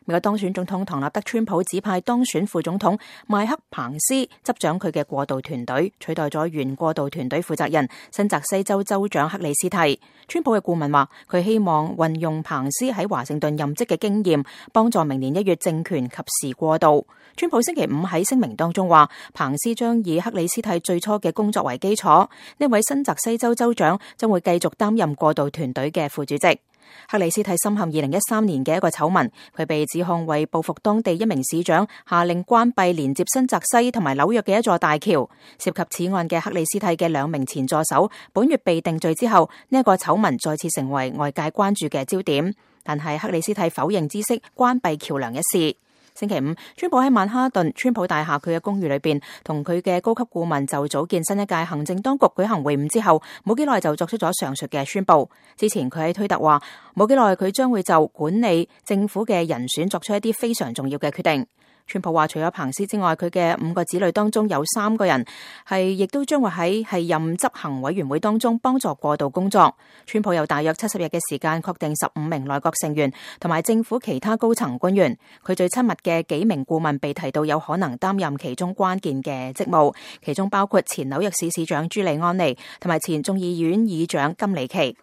美國當選總統唐納德·川普指派當選副總統邁克·彭斯執掌佢嘅過渡團隊，取代咗原過渡團隊負責人新澤西州州長克里斯蒂。川普嘅顧問話，佢希望運用彭斯喺華盛頓任職嘅經驗，幫助明年1月政權及時過渡。川普星期五喺聲明當中話，彭斯將以克里斯蒂最初嘅工作為基礎，呢位新澤西州州長將會繼續擔任過渡團隊嘅副主席。克里斯蒂深陷2013年嘅一個醜聞，佢被指控為報復當地一名市長，下令關閉連接新澤西同埋紐約嘅一座大橋。涉及此案嘅克里斯蒂嘅2名前助手，本月被定罪之後，呢一個醜聞再次成為外界關注嘅焦點。但係克里斯蒂否認知悉關閉橋樑一事。星期五，川普喺曼哈頓川普大廈佢嘅公寓裏邊，同佢嘅高級顧問就組建新一屆行政當局舉行會晤之後，冇幾耐就作出咗上述嘅宣佈。之前佢喺推特話，冇幾耐佢將會就管理政府嘅人選作出一啲非常重要嘅決定。川普話，除咗彭斯之外，佢嘅5個子女當中有3個人亦都將會喺任執行委員會當中幫助過渡工作。川普有大約70日嘅時間確定15名內閣成員同埋政府其他高層官員。佢最親密嘅幾名顧問被提到有可能擔任其中關鍵嘅職務，其中包括前紐約市市長朱利安尼同埋前眾議院議長金里奇。